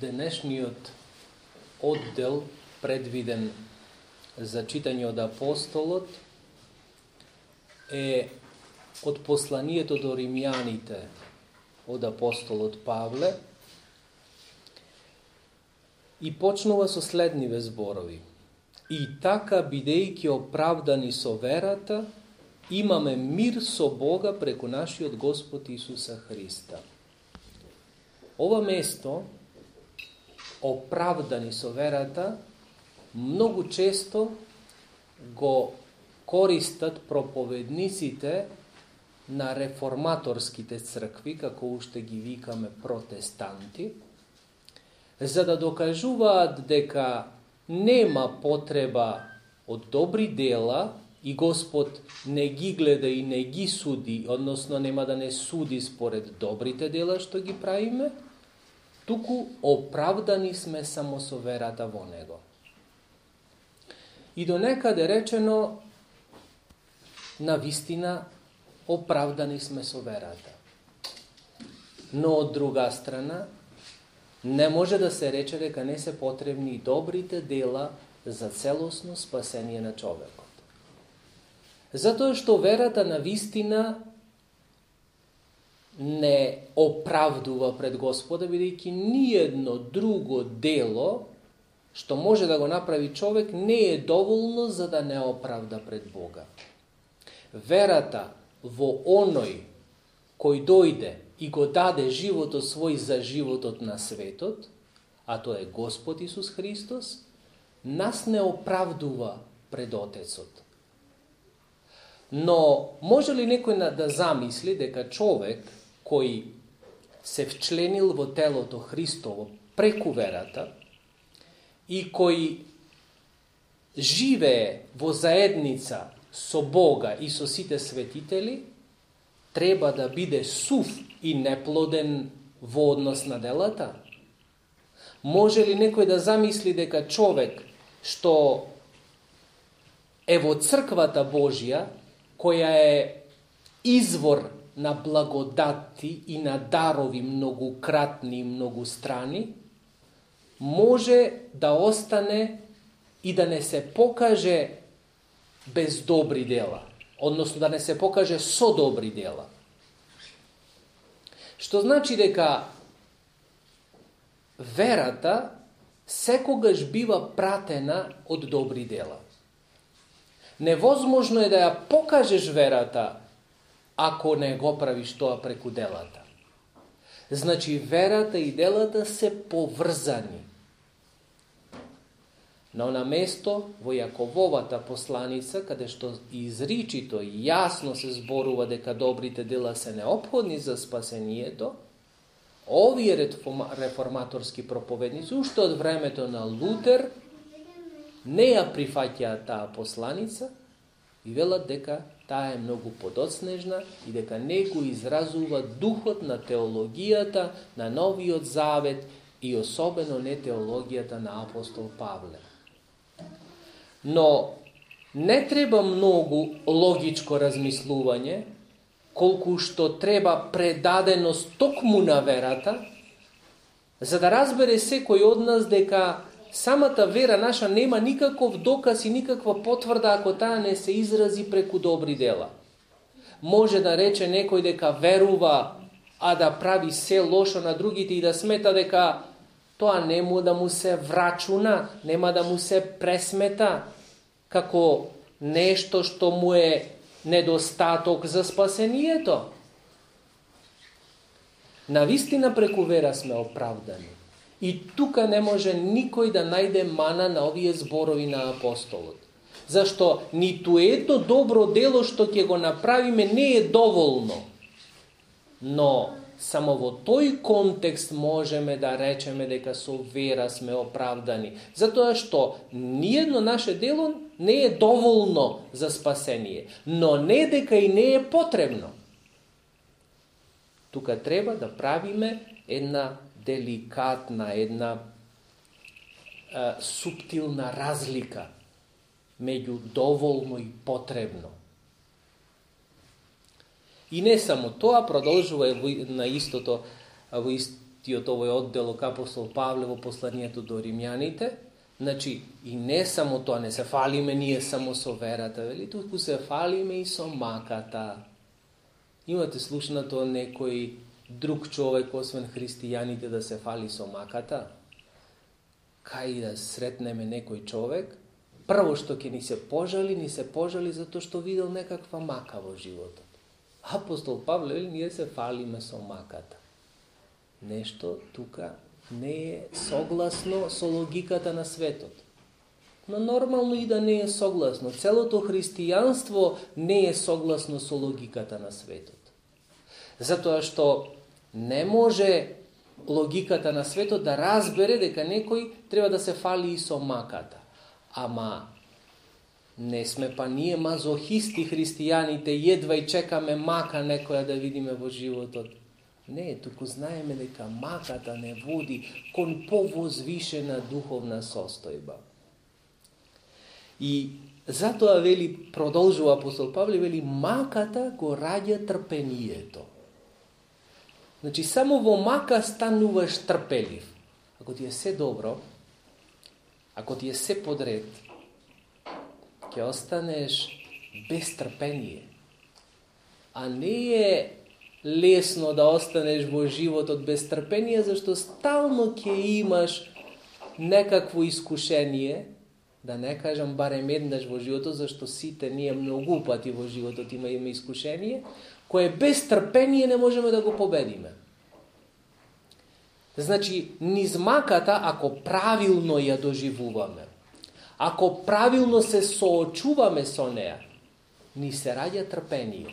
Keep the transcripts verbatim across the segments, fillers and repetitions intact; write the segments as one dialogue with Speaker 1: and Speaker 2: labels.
Speaker 1: денешниот оддел предвиден за читање од апостолот е од посланието до римјаните од апостолот Павле и почнува со следниве зборови. И така, бидејќи оправдани со верата, имаме мир со Бога преку нашиот Господ Исуса Христа. Ова место, оправдани со верата, многу често го користат проповедниците на реформаторските цркви, како уште ги викаме протестанти, за да докажуваат дека нема потреба од добри дела и Господ не ги гледа и не ги суди, односно нема да не суди според добрите дела што ги правиме, туку оправдани сме само со верата во Него. И до некаде речено, на вистина, оправдани сме со верата. Но од друга страна, не може да се рече дека не се потребни и добрите дела за целосно спасение на човекот. Затоа што верата на вистина не оправдува пред Господа, бидејќи ниедно друго дело што може да го направи човек не е доволно за да не оправда пред Бога. Верата во оној кој дојде и го даде животот свој за животот на светот, а тоа е Господ Исус Христос, нас не оправдува пред Отецот. Но може ли некој да замисли дека човек кој се вчленил во телото Христово преку верата и кој живее во заедница со Бога и со сите светители, треба да биде сув и неплоден во однос на делата? Може ли некој да замисли дека човек што е во црквата Божја, која е извор на благодати и на дарови многократни и многустрани, може да остане и да не се покаже без добри дела, односно да не се покаже со добри дела. Што значи дека верата секогаш бива пратена од добри дела. Невозможно е да ја покажеш верата ако не го правиш тоа преку делата. Значи верата и делата се поврзани. Но на место во Јакововата посланица, каде што изричито и јасно се зборува дека добрите дела се неопходни за спасението, овие реформаторски проповедници, уште од времето на Лутер, не ја прифаќаат таа посланица и велат дека таа е многу подоцнежна и дека не го изразува духот на теологијата на Новиот Завет и особено не теологијата на апостол Павле. Но не треба многу логичко размислување, колку што треба предаденост токму на верата, за да разбере секој од нас дека самата вера наша нема никаков доказ и никаква потврда ако таа не се изрази преку добри дела. Може да рече некој дека верува, а да прави се лошо на другите и да смета дека тоа нема да му се врачуна, нема да му се пресмета како нешто што му е недостаток за спасението. Навистина преку вера сме оправдани. И тука не може никој да најде мана на овие зборови на апостолот. Зашто ниту едно добро дело што ќе го направиме не е доволно. Но само во тој контекст можеме да речеме дека со вера сме оправдани. Затоа што ниедно наше дело не е доволно за спасение, но не дека и не е потребно. Тука треба да правиме една деликатна, една е, суптилна разлика меѓу доволно и потребно. И не само тоа, продолжува на истото, во ист, тиот овој оддел апостол Павле во посланието до римјаните. Значи, и не само тоа, не се фалиме ние само со верата, вели, туку се фалиме и со маката. Имате слушнато некој друг човек, освен христијаните, да се фали со маката? Кај да сретнеме некој човек, прво што ќе ни се пожали, ни се пожали затоа што видел некаква мака во животот. Апостол Павле вели, ние се фалиме со маката. Нешто тука не е согласно со логиката на светот. Но нормално и да не е согласно. Целото христијанство не е согласно со логиката на светот. Затоа што не може логиката на светот да разбере дека некој треба да се фали и со маката. Ама не сме па ние мазохисти христијаните, едва и чекаме мака некоја да видиме во животот. Не, туку знаеме дека маката не води кон повозвишена духовна состојба. И затоа вели, продолжува апостол Павле, вели, маката го раѓа трпението. Значи, само во мака стануваш трпелив. Ако ти е се добро, ако ти е се подред, ќе останеш без трпение. А не е лесно да останеш во животот без трпение, зашто стално ќе имаш некакво искушение, да не кажам барем еднаш во животот, зашто сите ние многу пати во животот имаме искушение, кое без трпение не можеме да го победиме. Значи, низ маката, ако правилно ја доживуваме, ако правилно се соочуваме со неа, ни се раѓа трпение.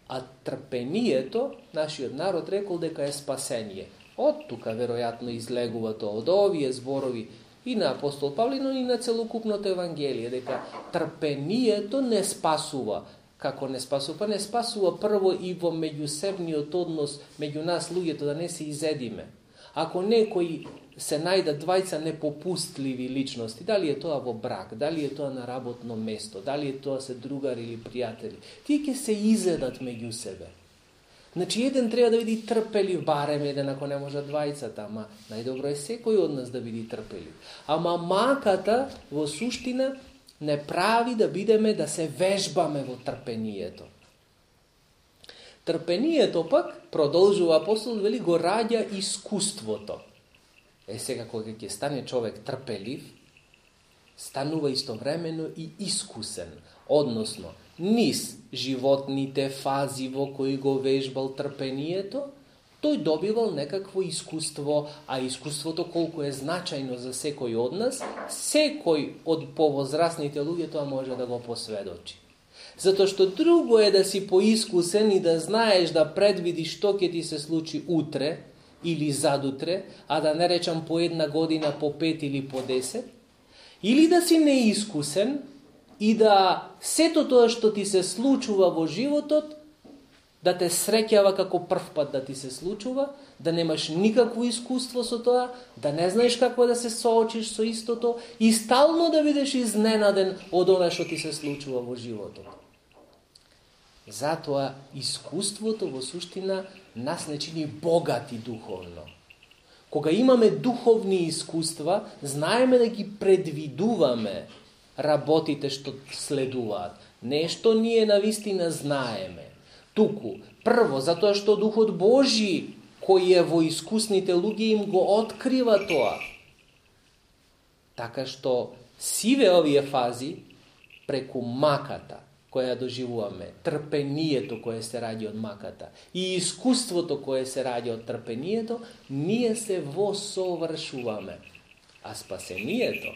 Speaker 1: А трпението, нашиот народ рекол дека е спасение. Од тука, веројатно, излегува тоа од овие зборови и на апостол Павле, но и на целокупното Евангелие, дека трпението не спасува. Како не спасува? Не спасува прво и во меѓусебниот однос меѓу нас луѓето, да не се изедиме. Ако некои се најдат двајца непопустливи личности, дали е тоа во брак, дали е тоа на работно место, дали е тоа се другари или пријатели, тие ќе се изедат меѓу себе. Значи, еден треба да биде трпелив, барем еден, ако не може двајцата, ама најдобро е секој од нас да биде трпелив. Ама маката, во суштина, не прави да бидеме, да се вежбаме во трпението. Трпението пак, продолжува апостол, вели, го раѓа искуството. Е, сега кога ќе стане човек трпелив, станува истовремено и искусен, односно, низ животните фази во кои го вежбал трпението, тој добивал некакво искуство, а искуството колку е значајно за секој од нас, секој од повозрасните луѓе тоа може да го посведочи. Затоа што друго е да си поискусен и да знаеш да предвидиш што ќе ти се случи утре или задутре, а да не речам по една година, по пет или по десет, или да си неискусен и да сето тоа што ти се случува во животот, да те среќава како прв пат да ти се случува, да немаш никакво искуство со тоа, да не знаеш како да се соочиш со истото и стално да бидеш изненаден од она што ти се случува во животот. Затоа искуството во суштина нас не чини богати духовно. Кога имаме духовни искуства, знаеме да ги предвидуваме работите што следуваат. Нешто ние навистина знаеме. Туку, прво, затоа што Духот Божи, кој е во искусните луѓе, им го открива тоа. Така што сиве овие фази преку маката, која доживуваме, трпението кое се раѓа од маката и искуството кое се раѓа од трпението, ние се восовршуваме. А спасението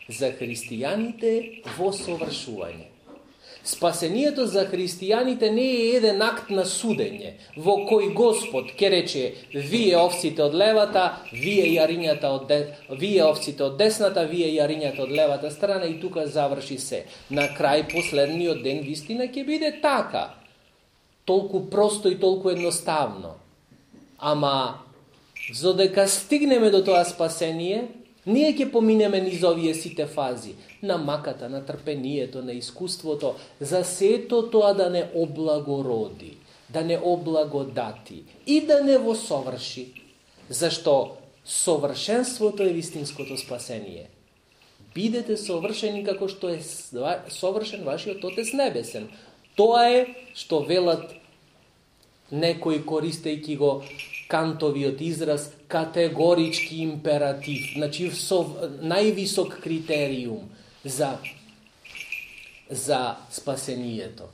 Speaker 1: за христијаните во совршување. Спасението за христијаните не е еден акт на судење, во кој Господ ќе рече, вие овците од левата, вие јарињата од де... вие овците од десната, вие јарињата од левата страна и тука заврши се. На крај последниот ден вистина ќе биде така. Толку просто и толку едноставно. Ама зодека стигнеме до тоа спасение, ние ќе поминеме низ овие сите фази, на маката, на трпението, на искуството, за сето тоа да не облагороди, да не облагодати и да не во соврши. Зашто совршенството е вистинското спасение. Бидете совршени како што е совршен вашиот Отец Небесен. Тоа е што велат некои користејќи го Кантовиот израз категорички императив, значи највисок критериум за, за спасението.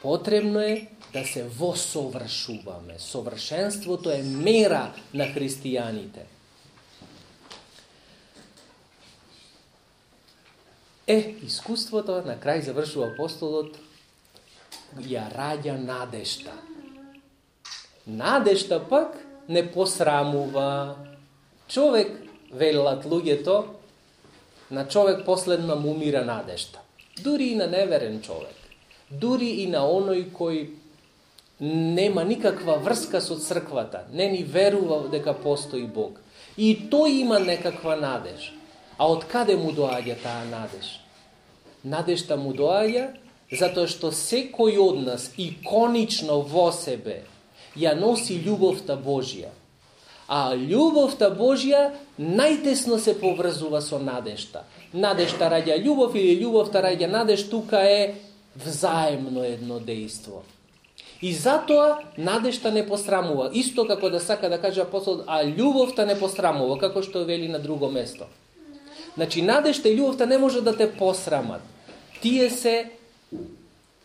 Speaker 1: Потребно е да се восовршуваме. Совршенството е мера на христијаните. Е, искуството, на крај завршува апостолот, ја раѓа надежта. Надежта пак не посрамува. Човек, велат луѓето, на човек последно му умира надежта. Дури и на неверен човек. Дури и на оној кој нема никаква врска со црквата, не ни верува дека постои Бог. И тој има некаква надеж. А од каде му доаѓа таа надеж? Надежта му доаѓа затоа што секој од нас иконично во себе ја носи љубовта Божја. А љубовта Божја најтесно се поврзува со надежта. Надежта раѓа љубов или љубовта раѓа надеж, тука е взаемно едно дејство. И затоа надежта не посрамува. Исто како да сака да каже апостол, а љубовта не посрамува, како што вели на друго место. Значи, надежта и љубовта не може да те посрамат. Тие се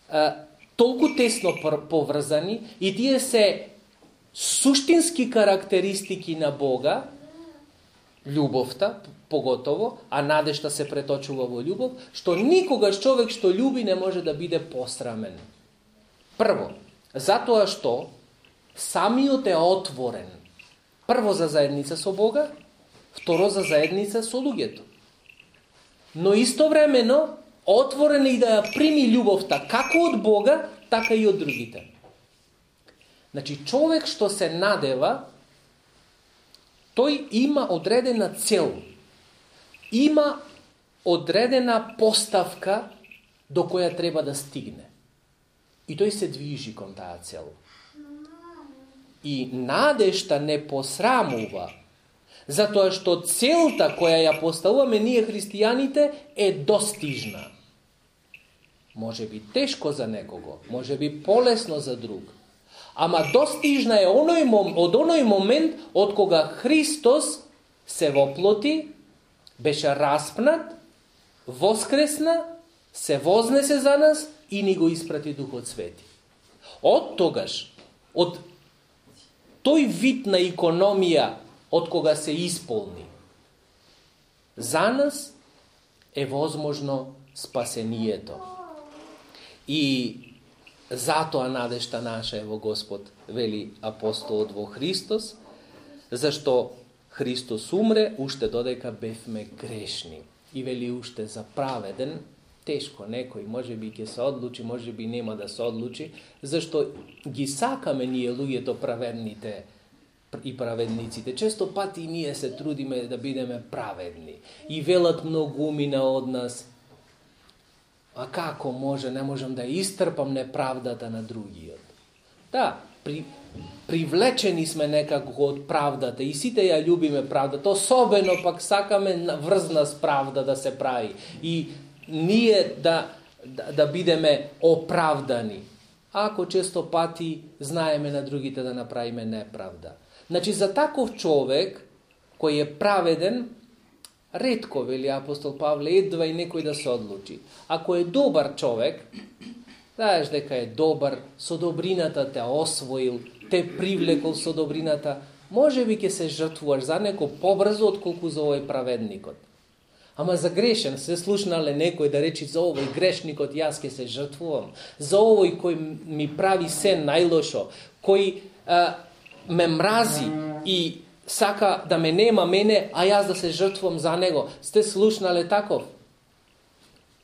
Speaker 1: а, толку тесно поврзани и тие се суштински карактеристики на Бога, љубовта поготово, а надежта се преточува во љубов, што никогаш човек што љуби не може да биде посрамен. Прво, затоа што самиот е отворен. Прво за заедница со Бога, второ за заедница со луѓето. Но истовремено отворен и да ја прими љубовта како од Бога, така и од другите. Значи, човек што се надева, тој има одредена цел. Има одредена поставка до која треба да стигне. И тој се движи кон таа цел. И надежта не посрамува, затоа што целта која ја поставуваме ние христијаните е достижна. Може би тешко за некого, може би полесно за друг. Ама достижна е оној, од оној момент од кога Христос се воплоти, беше распнат, воскресна, се вознесе за нас и ни го испрати Духот Свети. Од тогаш, од тој вид на икономија од кога се исполни, за нас е возможно спасението. И затоа надежта наша е во Господ, вели апостолот, во Христос, зашто Христос умре уште додека бевме грешни. И вели уште за праведен, тешко некој може би ќе се одлучи, може би нема да се одлучи, зашто ги сакаме ние луѓето праведните и праведниците. Често пати ние се трудиме да бидеме праведни. И велат многумина од нас, а како може, не можам да истрпам неправдата на другиот. Да, при, привлечени сме некако од правдата и сите ја љубиме правдата, особено пак сакаме врзна с правда да се прави и ние да, да, да бидеме оправдани. Ако често пати знаеме на другите да направиме неправда. Значи, за таков човек, кој е праведен, ретко, вели апостол Павле, едва и некој да се одлучи. Ако е добар човек, знаеш дека е добар, со добрината те освоил, те привлекол со добрината, може би ќе се жртвуваш за неко побрзо, отколку за овој праведникот. Ама за грешен се слушнале некој да речи за овој грешникот јас ќе се жртвувам, за овој кој ми прави се најлошо, кој а, ме мрази и сака да ме нема мене, а јас да се жртвувам за него. Сте слушнале таков?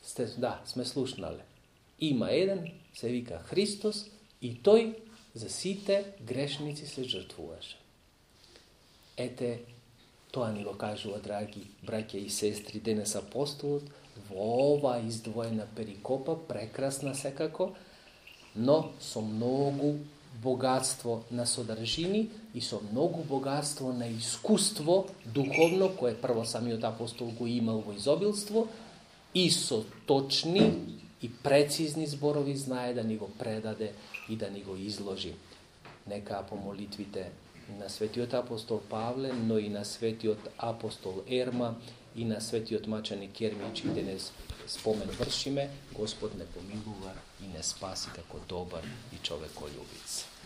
Speaker 1: Сте, да, сме слушнале. Има еден, се вика Христос, и тој за сите грешници се жртвуваше. Ете, тоа ни го кажува, драги браќа и сестри, денес апостолот, во ова издвоена перикопа, прекрасна секако, но со многу богатство на содржини и со многу богатство на искуство духовно, кое прво самиот апостол го имал во изобилство, и со точни и прецизни зборови знае да ни го предаде и да ни го изложи. Нека по молитвите на светиот апостол Павле, но и на светиот апостол Ерма и на светиот маченик Кермич и денес спомен вршиме, Господ не помилува и не спаси како добар и човеколюбиц.